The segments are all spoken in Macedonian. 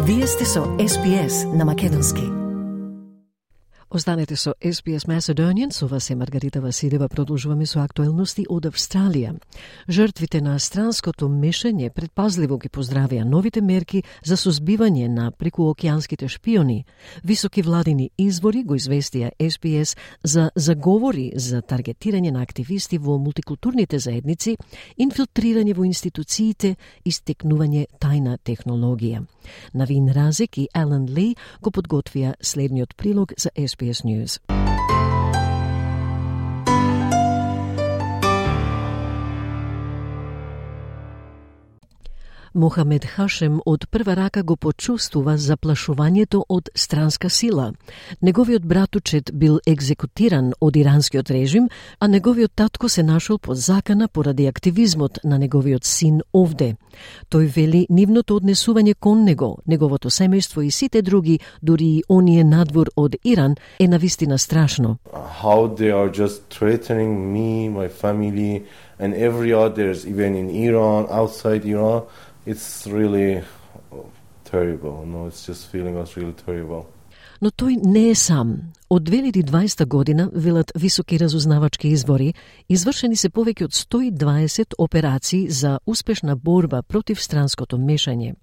Вие сте со SPS на македонски. Останете со SBS Macedonian, со вас е Маргарита Василева. Продолжуваме со актуелности од Австралија. Жртвите на странското мешање предпазливо ги поздравија новите мерки за сузбивање на прекуокеанските шпиони. Високи владини извори го известија SBS за заговори за таргетирање на активисти во мултикултурните заедници, инфилтрирање во институциите и стекнување тајна технологија. Навин Разик и Алан Ли го подготвија следниот прилог за SBS News. Мохамед Хашем од прва рака го почувствува заплашувањето од странска сила. Неговиот братучет бил екзекутиран од иранскиот режим, а неговиот татко се нашол под закана поради активизмот на неговиот син овде. Тој вели нивното однесување кон него, неговото семејство и сите други, дури и оние надвор од Иран, е навистина страшно. How they are just threatening me, my family and every others, even in Iran, outside Iran. It's really terrible. No, it's just feeling us really terrible. Но тој не е сам. Од 2020 година, велат високи разузнавачки извори, извршени се повеќе од 120 операции за успешна борба против странското мешање.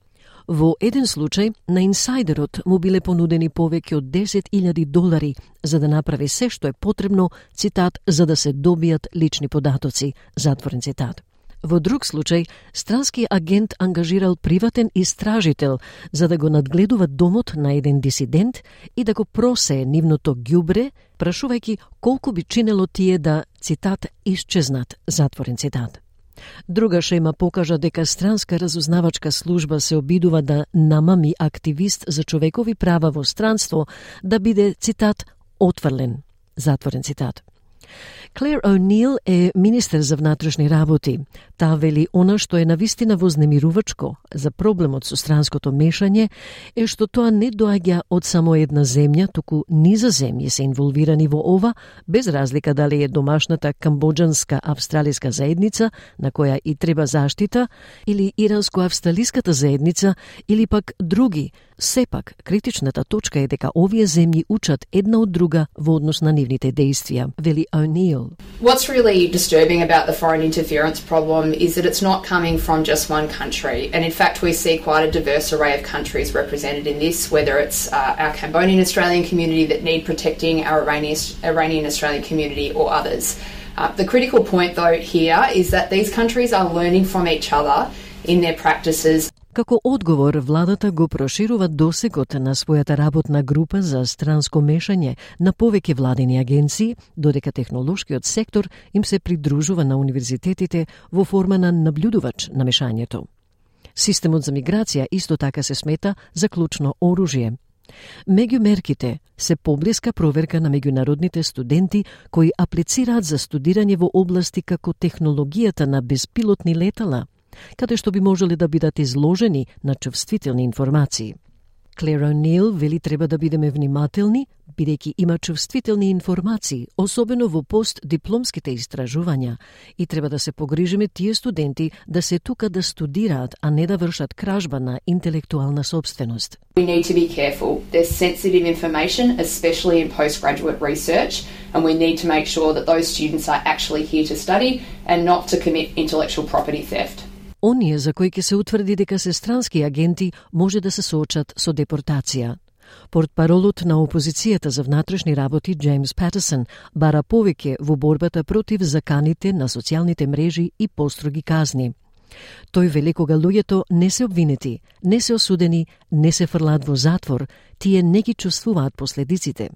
Во еден случај, на инсайдерот му биле понудени повеќе од $10,000 за да направи се што е потребно, цитат, за да се добијат лични податоци, затворен цитат. Во друг случај, странски агент ангажирал приватен истражител за да го надгледува домот на еден дисидент и да го просее нивното ѓубре, прашувајќи колку би чинело тие да, цитат, исчезнат, затворен цитат. Друга шема покажа дека странска разузнавачка служба се обидува да намами активист за човекови права во странство да биде, цитат, отврлен, затворен цитат. Клер О'Нил е министер за внатрешни работи. Таа вели она што е навистина вознемирувачко за проблемот со странското мешање е што тоа не доаѓа од само една земја, туку низа земји се инволвирани во ова, без разлика дали е домашната камбоџанска австралиска заедница, на која и треба заштита, или иранско-австралиската заедница, или пак други. Сепак, критичната точка е дека овие земји учат една од друга во однос на нивните действија, вели О'Нил. What's really disturbing about the foreign interference problem is that it's not coming from just one country. And in fact, we see quite a diverse array of countries represented in this, whether it's our Cambodian Australian community that need protecting, our Iranian Australian community or others. The critical point, though, here is that these countries are learning from each other in their practices. Како одговор, владата го проширува досегот на својата работна група за странско мешање на повеќе владини агенции, додека технолошкиот сектор им се придружува на универзитетите во форма на наблюдувач на мешањето. Системот за миграција исто така се смета за клучно оружје. Меѓу мерките се поблиска проверка на меѓународните студенти кои аплицираат за студирање во области како технологијата на безпилотни летала, каде што би можеле да бидат изложени на чувствителни информации. Клер О'Нил вели треба да бидеме внимателни, бидејќи има чувствителни информации, особено во постдипломските истражувања, и треба да се погрижиме тие студенти да се тука да студираат, а не да вршат кражба на интелектуална собственост. We need to be careful. There's sensitive information, especially in postgraduate research, and we need to make sure that those students are actually here to study and not to commit intellectual property theft. Оние за кои ќе се утврди дека се странски агенти може да се соочат со депортација. Портпаролот на опозицијата за внатрешни работи Джеймс Патерсон бара повеќе во борбата против заканите на социјалните мрежи и построги казни. Тој вели кога луѓето не се обвинети, не се осудени, не се фрлаат во затвор, тие не ги чувствуваат последиците.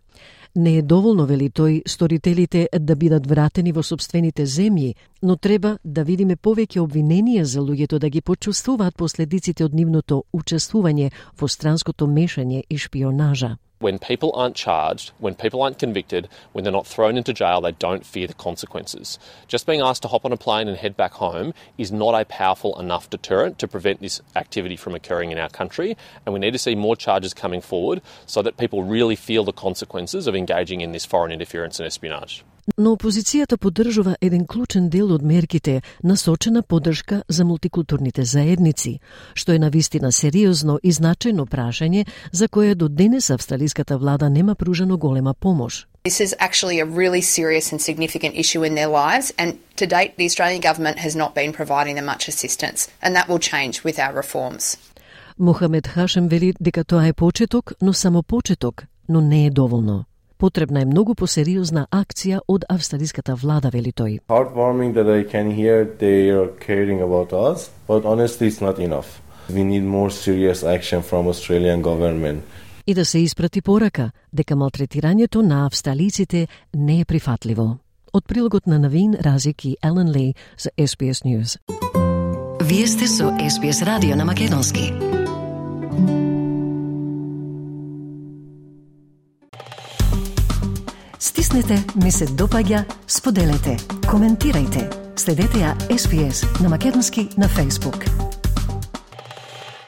Не е доволно, вели тој, сторителите да бидат вратени во собствените земји, но треба да видиме повеќе обвиненија за луѓето да ги почувствуваат последиците од нивното учествување во странското мешање и шпионажа. When people aren't charged, when people aren't convicted, when they're not thrown into jail, they don't fear the consequences. Just being asked to hop on a plane and head back home is not a powerful enough deterrent to prevent this activity from occurring in our country, and we need to see more charges coming forward so that people really feel the consequences of engaging in this foreign interference and espionage. Но опозицијата поддржува еден клучен дел од мерките, насочена поддршка за мултикултурните заедници, што е навистина сериозно и значајно прашање за кое до денес австралиската влада нема пружено голема помош. This is actually a really serious and significant issue in their lives, and to date the Australian government has not been providing them much assistance, and that will change with our reforms. Мохамед Хашем вели дека тоа е почеток, но само почеток, но не е доволно. Потребна е многу посериозна акција од австралиската влада, вели тој. Heartwarming that I can hear they are caring about us, but honestly it's not enough. We need more serious action from Australian government. И да се испрати порака дека малтретирањето на австралиците не е прифатливо. Од прилогот на Навин Разик и Елен Ли за SBS News. Вие сте со SBS радио на македонски. Стиснете, ми се допаѓа, споделете, коментирајте. Следете ја SBS на македонски на Facebook.